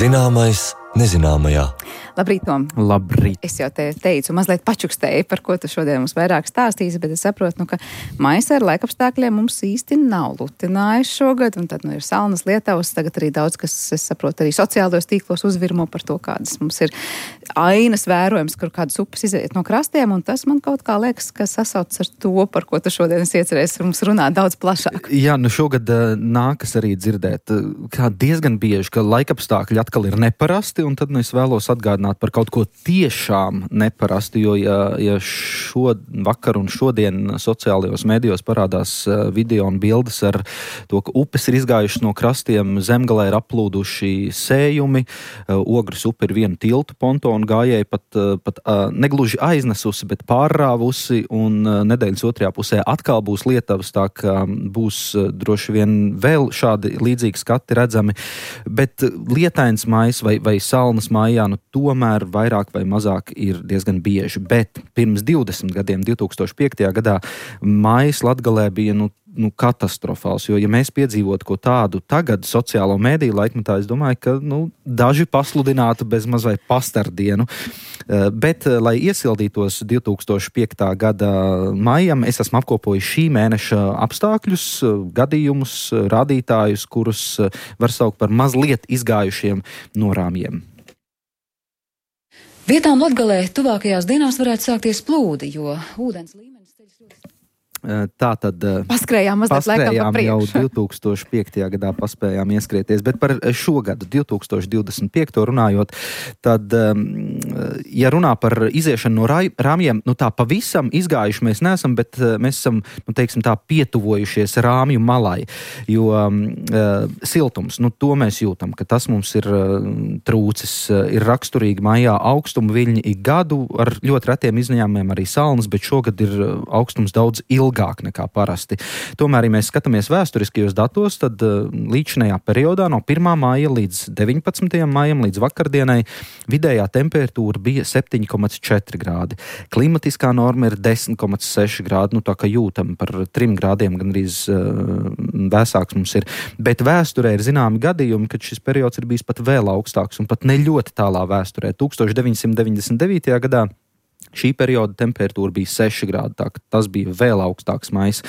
Zināmais nezināmajā. Labrīt, Tom. Labrīt. Es jau te teicu, mazliet pačukstēju, par ko tu šodien mums vairāk stāstīsi, bet es saprotu, ka maisa ar laikapstākļiem mums īsti nav lutinājis šogad, un tad ir salnas Lietavas, tagad arī daudz, kas, es saprotu, arī sociālajos tīklos uzvirmo par to, kādas mums ir ainas vērojams, kur kādas upes iziet no krastiem, un tas man kaut kā liekas, ka sasauc ar to, par ko tu šodien iecerēsi mums runāt daudz plašāk. Jā, šogad nākas arī dzirdēt, kā diezgan bieži, ka laikapstākļi atkal ir neparasti, un tad es vēlos atgādināt par kaut ko tiešām neparasti, jo ja vakar un šodien sociālajos medijos parādās video un bildes ar to, ka upes ir izgājušas no krastiem, zemgalē ir aplūduši sējumi, Ogres upe ir vienu tiltu pontonu gājēji pat negluži aiznesusi, bet pārrāvusi, un nedēļas otrajā pusē atkal būs Lietavas, tā ka būs droši vien vēl šādi līdzīgi skati redzami, bet lietains maijs vai salnas maijā, tomēr vairāk vai mazāk ir diezgan bieži, bet pirms 20 gadiem, 2005. Gadā, maijs Latgalē bija katastrofāls, jo ja mēs piedzīvotu ko tādu tagad sociālo mediju laikmetā, es domāju, ka daži pasludinātu bez mazai pastardienu, bet, lai iesildītos 2005. Gada maijam, es esmu apkopojis šī mēneša apstākļus, gadījumus, rādītājus, kurus var saukt par mazliet izgājušiem no rāmjiem. Vietām Latgalē tuvākajās dienās varētu sākties plūdi, jo ūdens līmenis ceļas ļoti. Tātad paskrējām jau 2005. Gadā paspējām ieskrieties, bet par šogadu 2025. runājot, tad, ja runā par iziešanu no rāmjiem, tā pavisam izgājuši mēs neesam, bet mēs esam, teiksim tā, pietuvojušies rāmju malai, jo siltums, to mēs jūtam, ka tas mums ir trūcis, ir raksturīgi maijā augstuma viļņi ik gadu, ar ļoti retiem izņēmumiem arī salnas, bet šogad ir augstums daudz ilgāk nekā parasti. Tomēr, ja mēs skatāmies vēsturiskajos datos, tad līdzinējā periodā no 1. māja līdz 19. maijam līdz vakardienai vidējā temperatūra bija 7,4 grādi. Klimatiskā norma ir 10,6 grādi, tā kā jūtam par 3 grādiem gandrīz vēsāks mums ir. Bet vēsturē ir zināmi gadījumi, kad šis periods ir bijis pat vēl augstāks un pat ne ļoti tālā vēsturē. 1999. gadā šī perioda temperatūra bija 6 grādi, tā ka tas bija vēl augstāks maijs.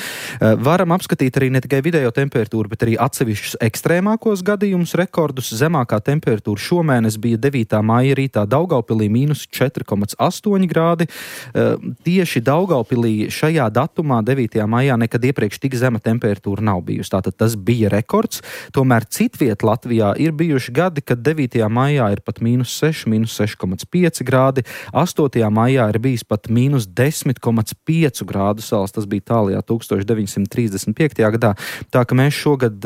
Varam apskatīt arī ne tikai vidējo temperatūru, bet arī atsevišķus ekstrēmākos gadījumus, rekordus. Zemākā temperatūra šomēnes bija 9. maija rītā Daugavpilī -4,8 grādi. Tieši Daugavpilī šajā datumā, 9. maijā, nekad iepriekš tik zema temperatūra nav bijusi. Tātad tas bija rekords. Tomēr citviet Latvijā ir bijuši gadi, kad 9. maijā ir pat -6, -6,5 grādi. 8. maijā ir bijis pat -10,5 grādu sals, tas bija tālajā 1935. gadā, tā ka mēs šogad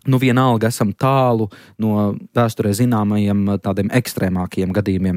vienalga esam tālu no vēsturē zināmajiem tādiem ekstrēmākiem gadījumiem.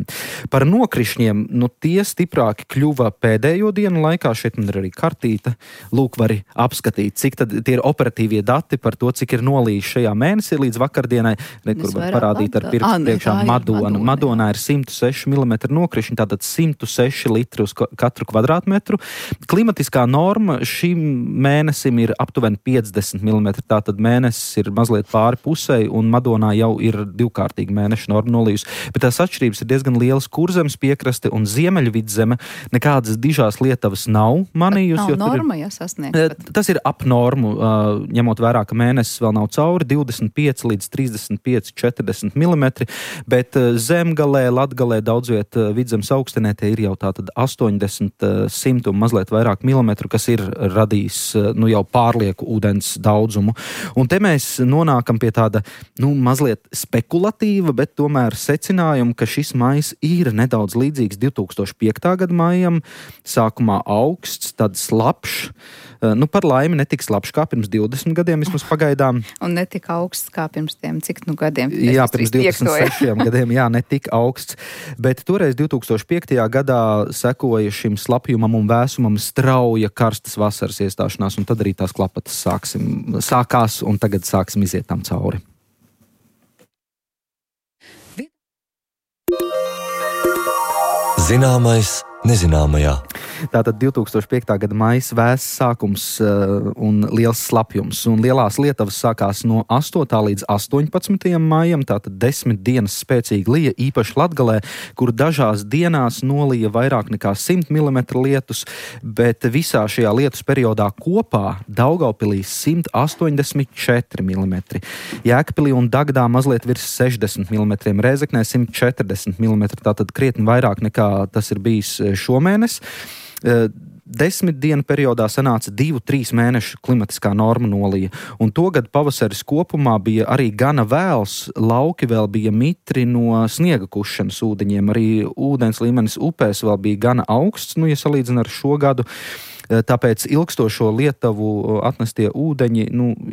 Par nokrišņiem, tie stiprāki kļuva pēdējo dienu laikā, šeit man ir arī kartīte, lūk, vari apskatīt, cik tad tie ir operatīvie dati par to, cik ir nolījis šajā mēnesī līdz vakardienai, kur var parādīt ar pirkstu priekšā Madona. Madonā ir 106 mm nokrišņi, tātad 106 litri uz katru kvadrātmetru. Klimatiskā norma šim mēnesim ir aptuveni 50 mm, tātad mēnesis ir mazliet pāri pusei, un Madonā jau ir divkārtīgi mēneša norma nolījusi. Bet tās atšķirības ir diezgan lielas. Kurzemes piekraste un Ziemeļvidzeme nekādas dižās Lietavas nav manījusi. Nav norma, ja sasniegt. Tas ir ap normu, ņemot vērā, ka mēnesis vēl nav cauri, 25 līdz 35, 40 mm, bet Zemgalē, Latgalē, daudzviet Vidzemes augstenē tie ir jau tātad 80, 100 un mazliet vairāk milimetru, kas ir radījis jau pārlieku ūdens daudzumu. Un te mēs nonākam pie tāda, mazliet spekulatīva, bet tomēr secinājuma, ka šis maijs ir nedaudz līdzīgs 2005. Gada maijam. Sākumā augsts, tad slapšs. Par laimi netik slapšs kā pirms 20 gadiem, vismaz pagaidām. Un netik augsts kā pirms tiem, cik gadiem? Jā, pirms 26 gadiem, netik augsts. Bet toreiz 2005. Gadā sekoja šim slapjumam un vēsumam strauja karstas vasaras iestāšanās, un tad arī tās klapatas sākās, un tagad sāksim iziet tam cauri. Zināmais nezināmajā. Tātad 2005. Gada maijs vēss sākums un liels slapjums. Un lielās lietavas sākās no 8. līdz 18. maijam, tātad 10 dienas spēcīgi lija, īpaši Latgalē, kur dažās dienās nolija vairāk nekā 100 mm lietus, bet visā šajā lietus periodā kopā Daugavpilī 184 mm. Jēkabpilī un Dagdā mazliet virs 60 mm, Rēzeknē 140 mm, tātad krietni vairāk nekā tas ir bijis šomēnes. 10 dienu periodā sanāca 2-3 mēnešu klimatiskā norma nolija, un togad pavasaris kopumā bija arī gana vēls, lauki vēl bija mitri no sniega kušanas ūdeņiem, arī ūdens līmenis upēs vēl bija gana augsts, ja salīdzina ar šo gadu. Tāpēc ilgstošo Lietuvu atnestie ūdeņi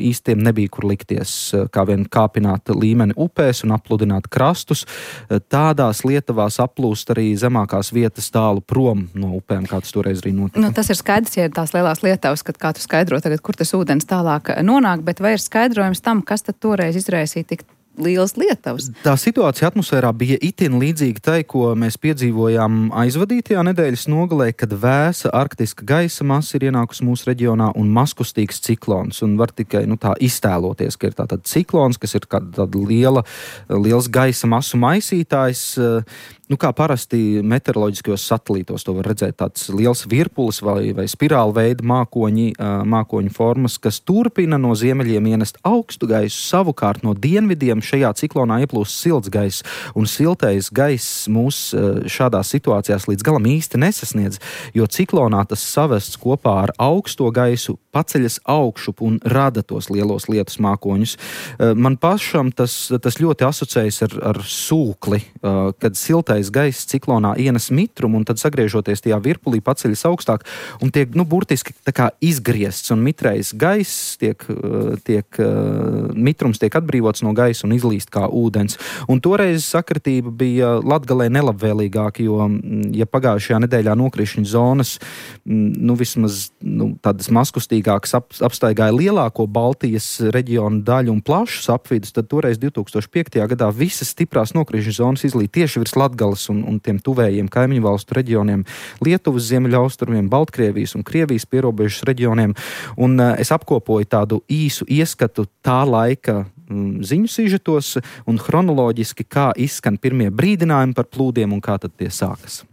īstiem nebija kur likties, kā vien kāpināt līmeni upēs un apludināt krastus. Tādās Lietuvās aplūst arī zemākās vietas tālu prom no upēm, kā tas toreiz arī notika. Tas ir skaidrs, ja ir tās lielās Lietuvas, kad kā tu skaidro tagad, kur tas ūdens tālāk nonāk, bet vai ir skaidrojums tam, kas tad toreiz izraisīja tik lielas Lietuvas? Tā situācija atmosfērā bija itin līdzīga tai, ko mēs piedzīvojām aizvadītajā nedēļas nogalē, kad vēsa arktiska gaisa masa ir ienākusi mūsu reģionā un mazkustīgs ciklons. Un var tikai tā iztēloties, ka ir tātad ciklons, kas ir tāda liels gaisa masu maisītājs. Kā parasti meteoroloģiskajos satelītos to var redzēt, tāds liels virpulis vai spirāla veida mākoņu formas, kas turpina no ziemeļiem ienest augstu gaisu, savukārt no dienvidiem šajā ciklonā ieplūst silts gaiss, un siltais gaiss mūs šādās situācijās līdz galam īsti nesasniedz, jo ciklonā tas savests kopā ar augsto gaisu paceļas augšup un rada tos lielos lietus mākoņus. Man pašam tas ļoti asociējas ar sūkli, kad siltais gaiss ciklonā ienes mitrumu un tad sagriežoties tajā virpulī paceļas augstāk un tiek, burtiski tā kā izgriezts un mitrais gaiss mitrums tiek atbrīvots no gaisa un izlīst kā ūdens. Un toreiz sakritība bija Latgalē nelabvēlīgāka, jo, ja pagājušajā nedēļā nokrišņu zonas, vismaz tādas mazkustīgākas apstaigāja lielāko Baltijas reģionu daļu un plašus apvidus, tad toreiz 2005. Gadā visas stiprās nokrišņu zonas izlīja tieši virs Latgales un tiem tuvējiem kaimiņu valstu reģioniem, Lietuvas ziemeļaustrumiem, Baltkrievijas un Krievijas pierobežas reģioniem. Un es apkopoju tādu īsu ieskatu tā laika ziņu sižetos un chronoloģiski, kā izskan pirmie brīdinājumi par plūdiem un kā tad tie sākas.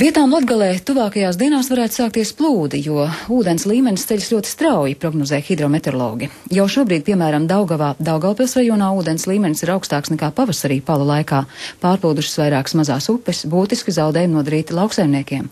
Vietām Latgalē tuvākajās dienās varētu sākties plūdi, jo ūdens līmenis ceļas ļoti strauji, prognozē hidrometeorologi. Jau šobrīd, piemēram, Daugavā, Daugavpils rajonā ūdens līmenis ir augstāks nekā pavasarī palu laikā. Pārplūdušas vairākas mazās upes, būtiski zaudējumi nodarīti lauksaimniekiem.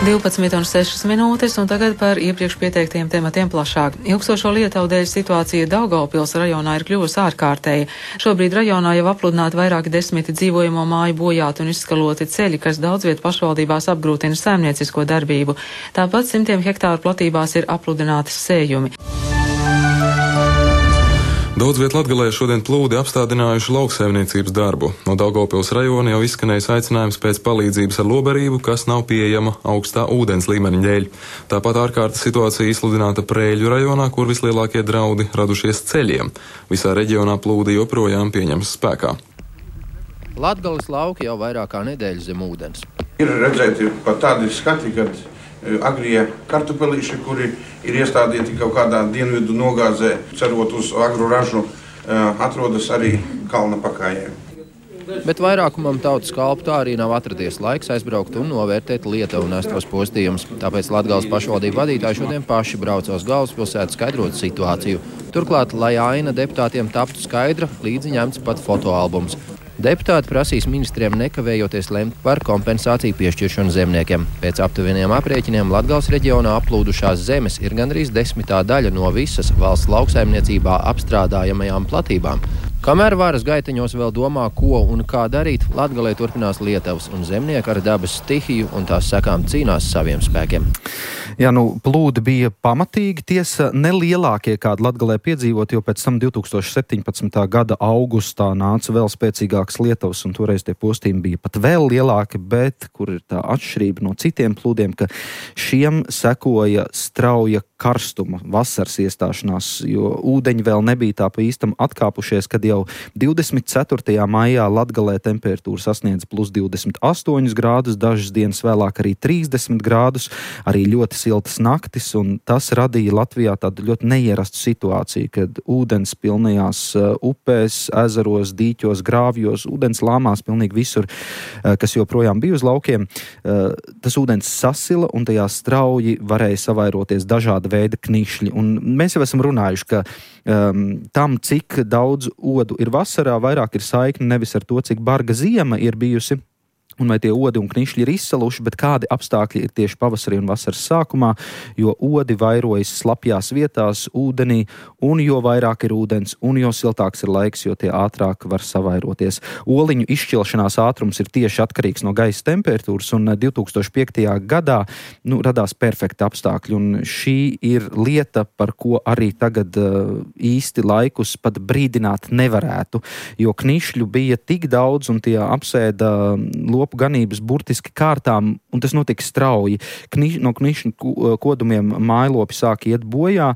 12,06 minūtes, un tagad par iepriekš pieteiktiem tematiem plašāk. Ilgstošo Lietuvu dēļ situācija Daugavpils rajonā ir kļuvusi ārkārtēja. Šobrīd rajonā jau apludināti vairāki 10 dzīvojamo māju bojāti un izskaloti ceļi, kas daudz vietu pašvaldībās apgrūtina saimniecisko darbību. Tāpat 100 hektāru platībās ir apludinātas sējumi. Daudz viet Latgalē šodien plūdi apstādinājuši lauksaimniecības darbu. No Daugavpils rajona jau izskanējis aicinājums pēc palīdzības ar lobarību, kas nav pieejama augstā ūdens līmeņa dēļ. Tāpat ārkārtas situācija izsludināta Prēļu rajonā, kur vislielākie draudi radušies ceļiem. Visā reģionā plūdi joprojām pieņems spēkā. Latgales lauki jau vairāk kā nedēļu zem ūdens. Ir redzēti pat tādi skati, kad agrie kartupelīši, kuri ir iestādīti kaut kādā dienvidu nogāzē, cerot uz agru ražu, atrodas arī kalna pakājē. Bet vairākumam tautas kalpu tā arī nav atradies laiks aizbraukt un novērtēt Lietuvu nestos postījumus. Tāpēc Latgales pašvaldību vadītāji šodien paši brauc uz galvaspilsētu skaidrot situāciju. Turklāt, lai aina deputātiem taptu skaidra, līdzi ņemts pat fotoalbums. Deputāti prasīs ministriem nekavējoties lemt par kompensāciju piešķiršanu zemniekiem. Pēc aptuveniem aprēķiniem Latgales reģionā aplūdušās zemes ir gandrīz 10. daļa no visas valsts lauksaimniecībā apstrādājamajām platībām. Kamēr varas gaiteņos vēl domā, ko un kā darīt, Latgalē turpinās lietavas un zemnieki ar dabas stihiju un tās sekām cīnās saviem spēkiem. Jā, plūdi bija pamatīgi, tiesa nelielākie, kādi Latgalē piedzīvot, jo pēc tam 2017. gada augustā nāca vēl spēcīgākas lietavas, un toreiz tie postījumi bija pat vēl lielāki, bet kur ir tā atšķirība no citiem plūdiem, ka šiem sekoja strauja karstuma, vasaras iestāšanās, jo ūdeņi vēl nebija tā pa īstam atkāpušies, kad jau 24. maijā Latgalē temperatūra sasniedz plus 28 grādus, dažas dienas vēlāk arī 30 grādus, arī ļoti siltas naktis, un tas radīja Latvijā tādu ļoti neierastu situāciju, kad ūdens pilnajās upēs, ezeros, dīķos, grāvjos, ūdens lāmās pilnīgi visur, kas joprojām bija uz laukiem. Tas ūdens sasila, un tajā strauji varēja savairoties dažāda veida knišļi. Un mēs jau esam runājuši, ka tam, cik daudz odu ir vasarā, vairāk ir saikni nevis ar to, cik barga ziema ir bijusi, un vai tie odi un knišļi ir izsaluši, bet kādi apstākļi ir tieši pavasarī un vasaras sākumā, jo odi vairojas slapjās vietās, ūdenī, un jo vairāk ir ūdens, un jo siltāks ir laiks, jo tie ātrāk var savairoties. Oliņu izšķilšanās ātrums ir tieši atkarīgs no gaisa temperatūras, un 2005. gadā radās perfekti apstākļi, un šī ir lieta, par ko arī tagad īsti laikus pat brīdināt nevarētu, jo knišļu bija tik daudz, un tie apsēda lopu ganības burtiski kārtām, un tas notika strauji. No knišņu kodumiem mājlopi sāk iet bojā,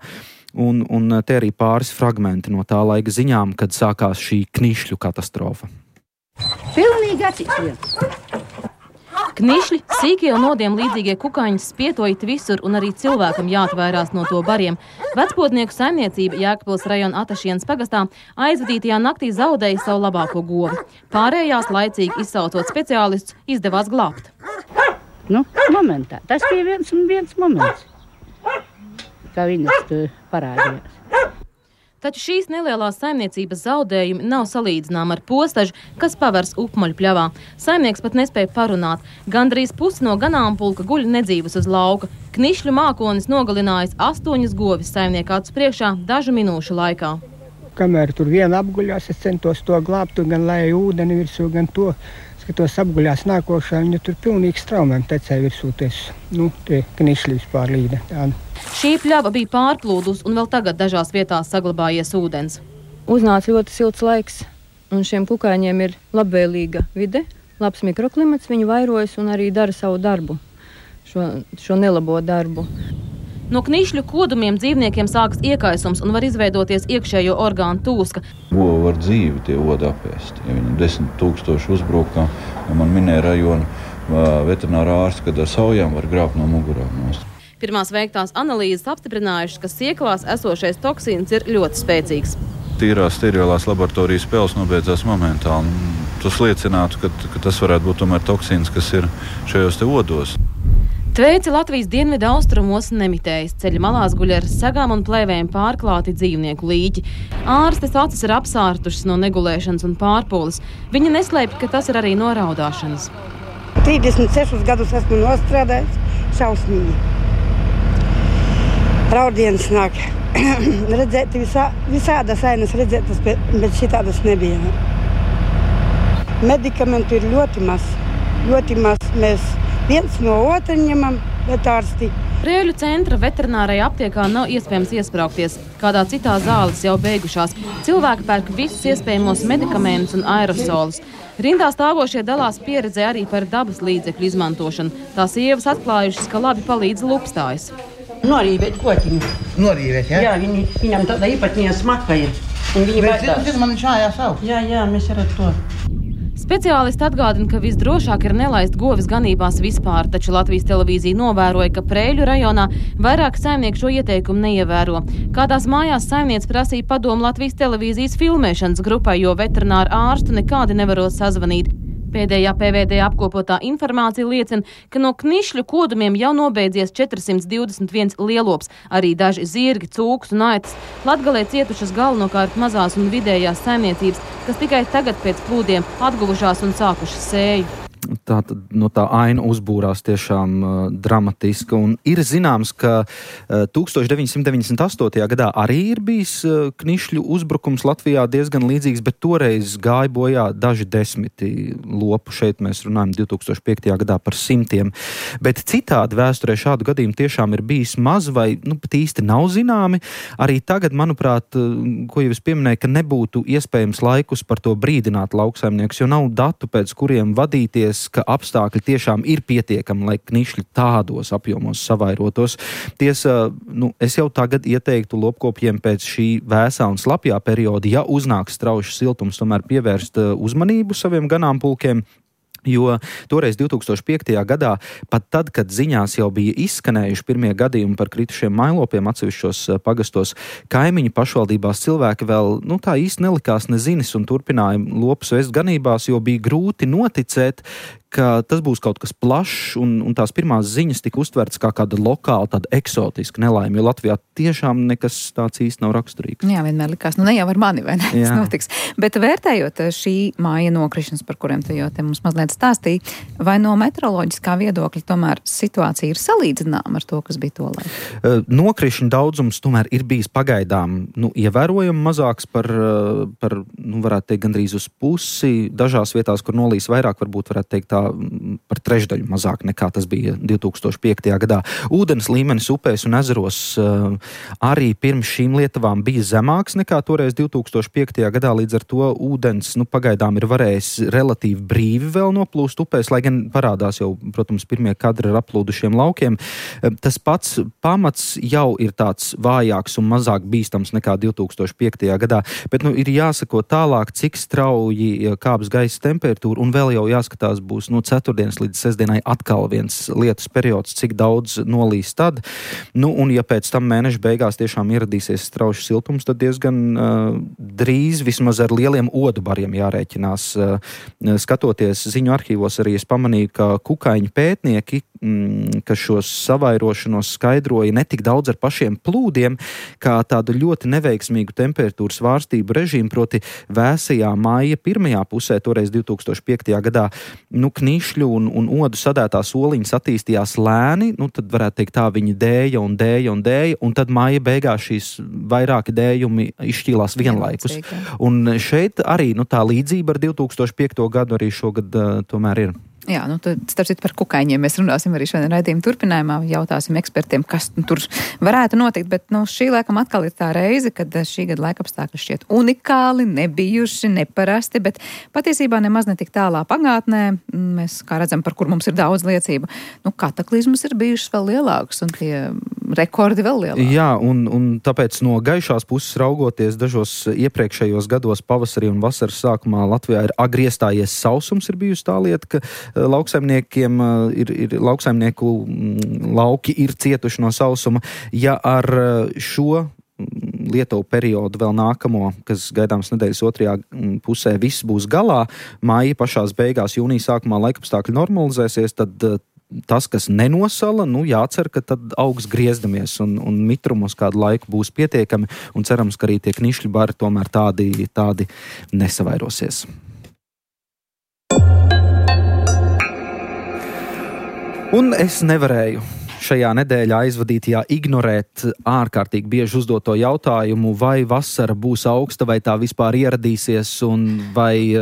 un te arī pāris fragmenti no tā laika ziņām, kad sākās šī knišļu katastrofa. Pilnīgi atšķirīgs. Knišļi, sīkie un nodiem līdzīgie kukaiņi spietojot visur, un arī cilvēkam jāatvērās no to bariem. Vecpotnieku saimniecība Jēkabpils rajona Atašienas pagastā aizvadītajā naktī zaudēja savu labāko govi. Pārējās laicīgi izsaucot speciālistus izdevās glābt. Momentā. Tas bija viens moments, kā viņas parādījās. Taču šīs nelielās saimniecības zaudējumi nav salīdzināmi ar postažu, kas pavers upmaļu pļavā. Saimnieks pat nespēja parunāt. Gandrīz pusi no ganāmpulka guļ nedzīvus uz lauka. Knišļu mākonis nogalinājis 8 govis saimnieka acu priekšā dažu minūšu laikā. Kamēr tur viena apguļās, es centos to glābt, gan lai ūdeni virsū, gan to, skatos apguļās nākošā, viņa tur pilnīgi straumēm tecēja virsūties. Tie knišļi vispār līda tāda. Šī pļava bija pārplūdus, un vēl tagad dažās vietās saglabājies ūdens. Uznāca ļoti silts laiks, un šiem kukaiņiem ir labvēlīga vide, labs mikroklimats, viņi vairojas un arī dara savu darbu, šo nelabo darbu. No knišļu kodumiem dzīvniekiem sākas iekaisums un var izveidoties iekšējo orgānu tūska. Govi var dzīvi tie odi apēst. Ja viņi 10 000 uzbrukā, ja man minēja rajona veterinārā ārsts, kad ar saujām var grābt no mugurām nost. Pirmās veiktās analīzes apstiprinājušas, ka sieklās esošais toksīns ir ļoti spēcīgs. Tīrās sterilās laboratorijas spēles nobeidzās momentāli. Tas liecinātu, ka tas varētu būt tomēr toksīns, kas ir šajos te odos. Tveici Latvijas dienvidu austrumos nemitējas. Ceļa malās guļ ar segām un plēvēm pārklāti dzīvnieku līķi. Ārstes acis ir apsārtušas no negulēšanas un pārpūles. Viņa neslēpj, ka tas ir arī no raudāšanas. 36 gadus esmu nostrādājis, šausmīgi. Raudienas nāk. Redzēt visādas ainas redzētas, bet šitādas nebija. Medikamentu ir ļoti maz. Mēs viens no otra ņemam, bet ārsti. Prēļu centra veterinārajā aptiekā nav iespējams iespraukties. Kādā citā zāles jau beigušās. Cilvēki pērk visus iespējamos medikamentus un aerosolus. Rindā stāvošie dalās pieredzē arī par dabas līdzekļu izmantošanu. Tās sievas atklājušas, ka labi palīdz lupstājas. Norīvēt kotiņu. Norīvēt, ja? Jā, viņam tāda īpatnija smaka ir. Viņi baidās. Man šājās aug. Jā, mēs ar to. Speciālisti atgādina, ka visdrošāk ir nelaist govis ganībās vispār, taču Latvijas televīzija novēroja, ka Prēļu rajonā vairāk saimnieku šo ieteikumu neievēro. Kādās mājās saimniece prasīja padomu Latvijas televīzijas filmēšanas grupai, jo veterināru ārstu nekādi nevarot sazvanīt. Pēdējā PVD apkopotā informācija liecina, ka no knišļu kodumiem jau nobeidzies 421 lielops, arī daži zirgi, cūkas un aitas. Latgalē cietušas galvenokārt mazās un vidējās saimniecības, kas tikai tagad pēc plūdiem atguvušās un sākušas sēju. Tā aina uzbūrās tiešām dramatiska, un ir zināms, ka 1998. gadā arī ir bijis knišļu uzbrukums Latvijā diezgan līdzīgs, bet toreiz gāja bojā daži desmiti lopu. Šeit mēs runājam 2005. gadā par 100. Bet citādi vēsturē šādu gadījumu tiešām ir bijis maz vai pat īsti nav zināmi. Arī tagad, manuprāt, ko jau es pieminēju, ka nebūtu iespējams laikus par to brīdināt lauksaimniekus, jo nav datu, pēc kuriem vadīties, ka apstākļi tiešām ir pietiekami, lai knišļi tādos apjomos savairotos. Tiesa, es jau tagad ieteiktu lopkopjiem pēc šī vēsā un slapjā perioda, ja uznāks straušs siltums, tomēr pievērst uzmanību saviem ganāmpulkiem. Jo toreiz 2005. gadā, pat tad, kad ziņās jau bija izskanējuši pirmie gadījumi par kritušiem mailopiem atsevišķos pagastos, kaimiņu pašvaldībās cilvēki vēl tā īsti nelikās nezinis un turpināja lopus vest ganībās, jo bija grūti noticēt, ka tas būs kaut kas plašs, un tās pirmās ziņas tika uztverts kā kāda lokāla, tāda eksotiska nelaime, jo Latvijā tiešām nekas tāds īsti nav raksturīgs. Jā, vienmēr likās, ne jau ar mani, vai ne, tas notiks. Bet vērtējot šī māja nokrišanas, par kuriem tu jau te mums mazliet stāstīji, vai no meteoroloģiskā viedokļa tomēr situācija ir salīdzināma ar to, kas bija tolaik? Nokrišņu daudzums tomēr ir bijis pagaidām ievērojami mazāks par varētu teikt, gandrīz uz pusi. Dažās vietās, kur nolīs vairāk, varbūt varētu teikt tā par trešdaļu mazāk nekā tas bija 2005. gadā. Ūdens līmenis upēs un ezeros arī pirms šīm lietavām bija zemāks nekā toreiz 2005. gadā, līdz ar to ūdens pagaidām ir varējis relatīvi brīvi vēl noplūst upēs, lai gan parādās jau, protams, pirmie kadri ar aplūdušiem laukiem. Tas pats pamats jau ir tāds vājāks un mazāk bīstams nekā 2005. gadā, bet ir jāsako tālāk, cik strauji kāps gaisa temperatūra, un vēl jau jāskatās būs no ceturtdienas līdz sestdienai atkal viens lietus periods, cik daudz nolīs tad. Un ja pēc tam mēneša beigās tiešām ieradīsies straušs siltums, tad diezgan drīz vismaz ar lieliem odubariem jārēķinās. Skatoties ziņu arhīvos arī es pamanīju, ka kukaiņu pētnieki, ka šos savairošanos skaidroja ne tik daudz ar pašiem plūdiem, kā tādu ļoti neveiksmīgu temperatūras svārstību režīmu, proti vēsajā māja pirmajā pusē, toreiz 2005. gadā, knišļu un odu sadētās oliņas attīstījās lēni, tad varētu teikt tā, viņi dēja, un tad māja beigās šīs vairāki dējumi izšķīlās vienlaikus. Un šeit arī tā līdzība ar 2005. gadu arī šogad tomēr ir. Jā, starp citu par kukaiņiem mēs runāsim arī šodien raidījuma turpinājumā, jautāsim ekspertiem, kas tur varētu notikt, bet šī laikam atkal ir tā reize, kad šī gada laikapstākļi šķiet unikāli, nebijuši, neparasti, bet patiesībā nemaz netik tālā pagātnē, mēs kā redzam, par kur mums ir daudz liecību, kataklizmas ir bijušas vēl lielākas un tie rekordi vēl lielāki. Jā, un tāpēc no gaišās puses raugoties dažos iepriekšējos gados pavasarī un vasaras sākumā Latvijā ir agri iestājies sausums, ir bijusi tā lieta, ka lauksaimniekiem lauksaimnieku lauki ir cietuši no sausuma. Ja ar šo Lietuvu periodu vēl nākamo, kas gaidāms nedēļas otrajā pusē, viss būs galā, māja pašās beigās, jūnija sākumā laikapstākļi normalizēsies, tad tas, kas nenosala, jācer, ka tad augs griezdamies un mitrumus kādu laiku būs pietiekami un cerams, ka arī tie knišļi bari tomēr tādi nesavairosies. Un es nevarēju šajā nedēļā aizvadītajā ignorēt ārkārtīgi bieži uzdoto jautājumu, vai vasara būs augsta, vai tā vispār ieradīsies, un vai...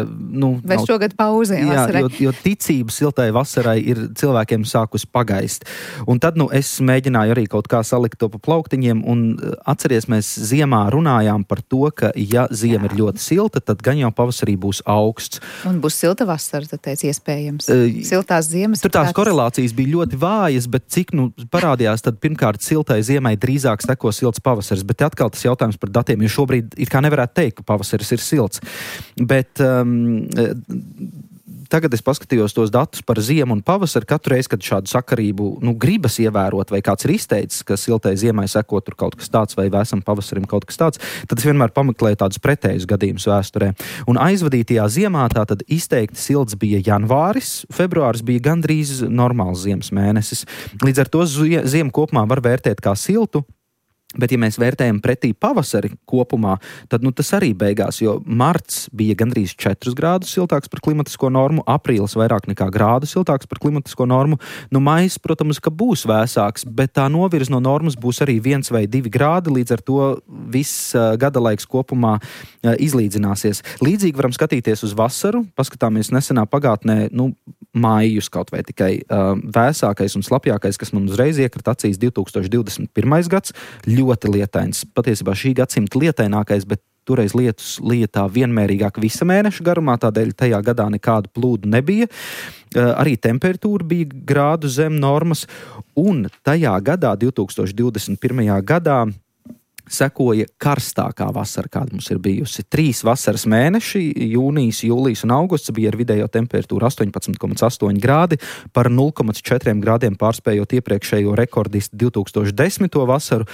vai šogad pauzē vasarai. Jo ticība siltai vasarai ir cilvēkiem sākus pagaist. Un tad, es mēģināju arī kaut kā salikt to pa plauktiņiem, un atceries, mēs ziemā runājām par to, ka ja ziema ir ļoti silta, tad gan jau pavasarī būs augsts. Un būs silta vasara, tad teic iespējams. Siltās ziemas... Tur tās korelācijas bija ļoti vājas, bet cik, parādījās, tad pirmkārt siltai ziemai drīzāk seko silts pavasaris, bet atkal tas jautājums par datiem, jo šobrīd it kā nevarētu teikt, ka pavasaris ir silts. Bet tagad es paskatījos tos datus par ziemu un pavasaru, katru reizi, kad šādu sakarību gribas ievērot, vai kāds ir izteicis, ka siltai ziemai seko tur kaut kas tāds, vai vēsam pavasarim kaut kas tāds, tad es vienmēr pameklēju tādus pretējus gadījumus vēsturē. Un aizvadītajā ziemā tātad izteikti silts bija janvāris, februāris bija gandrīz normāls ziemas mēnesis. Līdz ar to ziemu kopumā var vērtēt kā siltu. Bet, ja mēs vērtējam pretī pavasari kopumā, tad tas arī beigās, jo marts bija gandrīz 4 grādus siltāks par klimatisko normu, aprīlis vairāk nekā grādu siltāks par klimatisko normu. Maijs, protams, ka būs vēsāks, bet tā novirz no normas būs arī 1 vai 2 grādi, līdz ar to viss gada laiks kopumā izlīdzināsies. Līdzīgi varam skatīties uz vasaru, paskatāmies nesenā pagātnē, maijus kaut vai tikai vēsākais un slapjākais, kas man uzreiz iekrita acīs 2021. gads, ļoti lietains. Patiesībā šī gadsimta lietainākais, bet toreiz lietus lietā vienmērīgāk visa mēneša garumā, tādēļ tajā gadā nekādu plūdu nebija. Arī temperatūra bija grādu zem normas, un tajā gadā, 2021. gadā, sekoja karstākā vasara, kāda mums ir bijusi. 3 vasaras mēneši, jūnijas, jūlijas un augusts, bija ar vidējo temperatūru 18,8 grādi, par 0,4 grādiem pārspējot iepriekšējo rekordistu 2010. vasaru.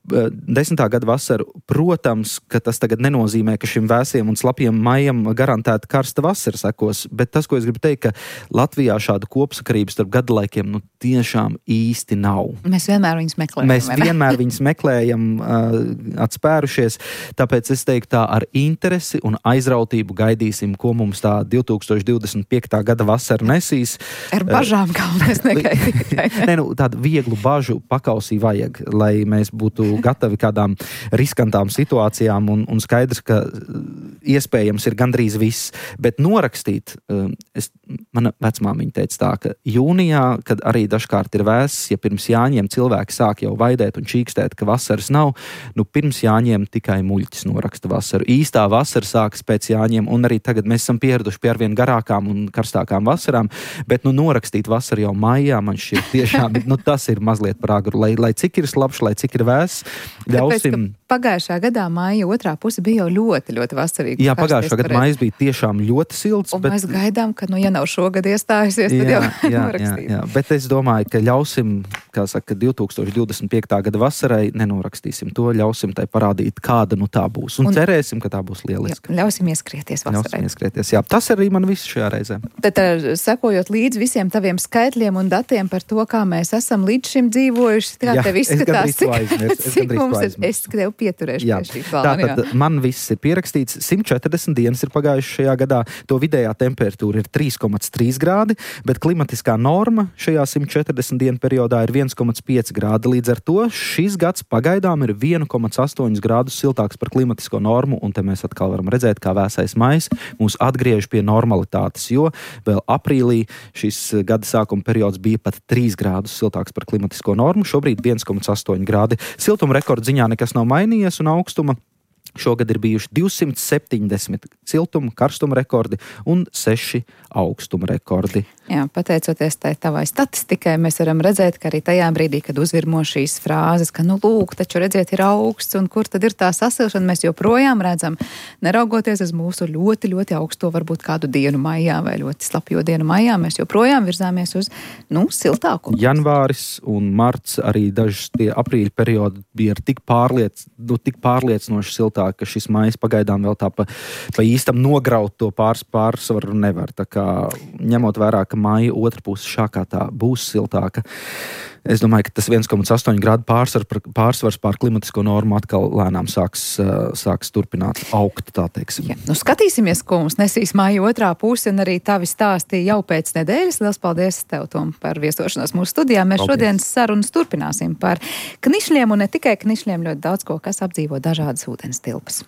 10. gada vasaru, protams, ka tas tagad nenozīmē, ka šim vēsiem un slapiem maijam garantēta karsta vasara sekos, bet tas, ko es gribu teikt, ka Latvijā šādu kopsakarību starp gadalaikiem tiešām īsti nav. Mēs vienmēr viņus meklējam. Atspērušies, tāpēc es teiktu tā ar interesi un aizrautību gaidīsim, ko mums tā 2025. gada vasara nesīs. Ar bažām galvenais negaidīt. Tādu vieglu bažu pakausī vajag, lai mēs būtu gatavi kādām riskantām situācijām un skaidrs, ka iespējams ir gandrīz viss, bet norakstīt, mana vecmāmiņa teica tā, ka jūnijā, kad arī dažkārt ir vēss, ja pirms Jāņiem cilvēki sāk jau vaidēt un čīkstēt, ka vasaras nav, pirms Jāņiem tikai muļķis noraksta vasaru. Īstā vasara sākas pēc Jāņiem, un arī tagad mēs esam pieraduši pie arvien garākām un karstākām vasarām, bet norakstīt vasaru jau maijā, man šķiet tiešām, tas ir mazliet par agru, lai cik ir slapš, lai cik ir vēss, ļausim. Pagājušā gadā maija otrā puse bija jau ļoti, ļoti vasarīga. Jā, pagājušā gada maijas bija tiešām ļoti silts. Un mēs gaidām, ka, ja nav šogad iestājusies, tad jau norakstīt. Jā, bet es domāju, ka ļausim, 2025. gada vasarai nenorakstīsim to, ļausim tai parādīt, kāda tā būs. Un cerēsim, ka tā būs lieliska. Ļausim ieskrieties vasarai. Jā, tas arī man viss šajā reizē. Tad sekojot līdz visiem taviem skaitļiem un datiem par to, kā mēs esam līdz šim dzīvojuši, kā tev izskatās, cik mums ir, es tev pieturēšu pie šī plāna. Tātad man viss ir pierakstīts, 140 dienas ir pagājuši šajā gadā, to vidējā temperatūra ir 3,3 grādi, bet klimatiskā norma šajā 140 dienu periodā ir 1,5 grādi. Līdz ar to šis gads pagaidām ir 1,8 grādus siltāks par klimatisko normu, un te mēs atkal varam redzēt, kā vēsais maijs mūs atgriež pie normalitātes, jo vēl aprīlī šis gada sākuma periods bija pat 3 grādus siltāks par klimatisko normu, šobrīd 1,8 grādi. Siltuma rekordziņā nekas nav mainījies un augstuma. Šogad ir bijuši 270 siltuma, karstuma rekordi un 6 augstuma rekordi. Jā, pateicoties tavai statistikai, mēs varam redzēt, ka arī tajā brīdī, kad uzvirmo šīs frāzes, ka, lūk, taču redziet, ir augsts, un kur tad ir tā sasilšana, mēs joprojām redzam, neraugoties uz mūsu ļoti, ļoti augsto, varbūt kādu dienu maijā vai ļoti slapjo dienu maijā, mēs joprojām virzāmies uz, siltāku. Janvāris un marts, arī dažs tie aprīļa periodi bija ar tik pārliecinoši siltāk, ka šis maijs pagaidām vēl tā pa īstam nograut to pārsvaru nevar. Tā kā ņemot vērā, ka maija otra puse šākā tā būs siltāka, es domāju, ka tas 1,8 grādu pārsvars pār klimatisko normu atkal lēnām sāks turpināt augt, tā teiksim. Ja, skatīsimies, ko mums nesīs maija otrā puse, un arī tavi stāsti jau pēc nedēļas. Liels paldies tev, Tom, par viesošanos mūsu studijā. Mēs šodienas sarunas turpināsim par knišļiem, un ne tikai knišļiem, ļoti daudz ko, kas apdzīvo dažādas ūdens tilpas.